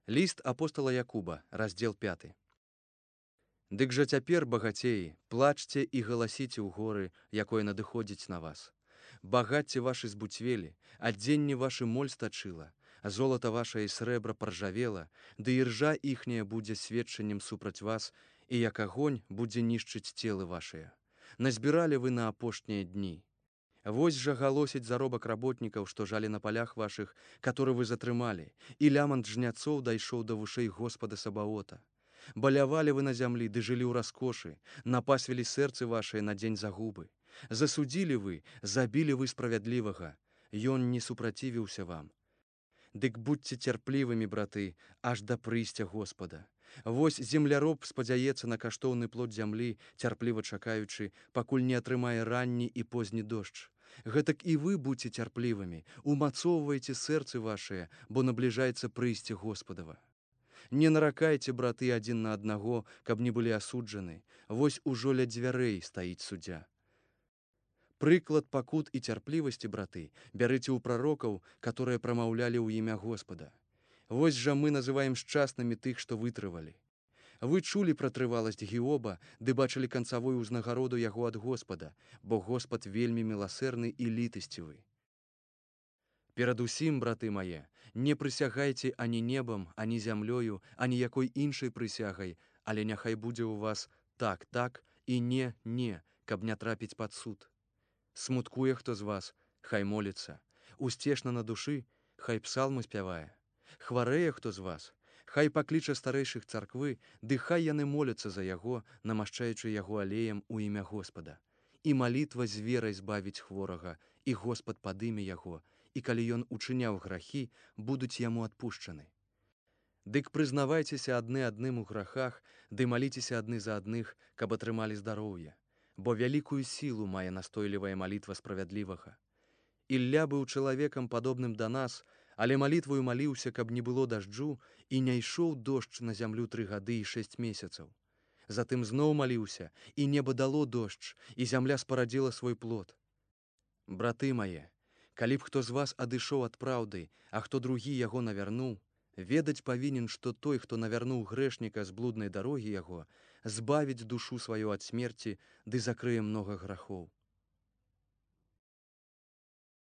Ліст апостала Якуба, раздзел 5. Дык жа цяпер, багацеі, плачце і галасіце ў горы, якое надыходзіць на вас. Багацце вашы збуцвелі, адзенне вашы моль стачыла, золата ваша і срэбра паржавела, ды іржа іхняя будзе сведчаннем супраць вас, і як агонь будзе нішчыць целы вашыя. Назбіралі вы на апошнія дні. Вось жа галосіць заробак работнікаў, што жалі на палях вашых, которые вы затрымалі, і лямант жняцоў дайшоў да вушэй Господа Сабаота. Балявалі вы на зямлі, ды жылі ў раскошы, напасвілі сэрцы вашыя на дзень загубы. Засудзілі вы, забілі вы справядлівага, ён не супрацівіўся вам. Дык будьце цярплівымі, браты, аж да прыйсця Господа. Вось земляроб спадзяецца на каштоўны плод зямлі, цярпліва чакаючы, пакуль не атрымае ранні і позні дождж. Гэтак і вы будьце цярплівымі, умацоўвайце сэрцы вашыя, бо набліжаецца прыйсце Господава. Не наракайце, браты, адзін на аднаго, каб не былі асуджаны. Вось ужо ля дзвярэй стаіць суддзя. Прыклад пакут і цярплівасці, браты, бярыце ў прарокаў, которые прамаўлялі ў імя Господа. Вось жа мы называем шчаснымі тых, што вытрывалі. Вы чулі пра трываласць Гіоба, ды бачылі канцавую ўзнагароду яго ад Господа, бо Господ вельмі міласэрны і літасцівы. Перадусім, браты мае, не прысягайце ані небам, ані зямлёю, ані якой іншай прысягай, але няхай будзе ў вас так, так і не, каб не трапіць пад суд. Смуткуе хто з вас, хай моліцца, усцешна на душы, хай псалмы спявае. Хварэе хто з вас, хай пакліча старэйшых царквы, ды хай яны моляцца за яго, намашчаючы яго алеем у імя Господа. І малітва з верай збавіць хворага, і Господ падыме яго, і калі ён учыняў грахі, будуць яму адпушчаны. Дык прызнавайцеся адны адным у грахах, ды маліцеся адны за адных, каб атрымалі здароўе. Бо вялікую сілу мае настойлівая малітва справядлівага. Ілля быў чалавекам падобным да нас, але малітваю маліўся, каб не было дажджу, і не ішоў дождж на зямлю 3 гады і 6 месяцаў. Затым зноў маліўся, і неба дало дождж, і зямля спарадзіла свой плод. Браты мае, калі б хто з вас адышоў ад праўды, а хто другі яго навярнуў, ведаць павінен, што той, хто навярнуў грэшніка з блуднай дарогі яго, збавіць душу сваю ад смерці, ды закрые многа грахоў.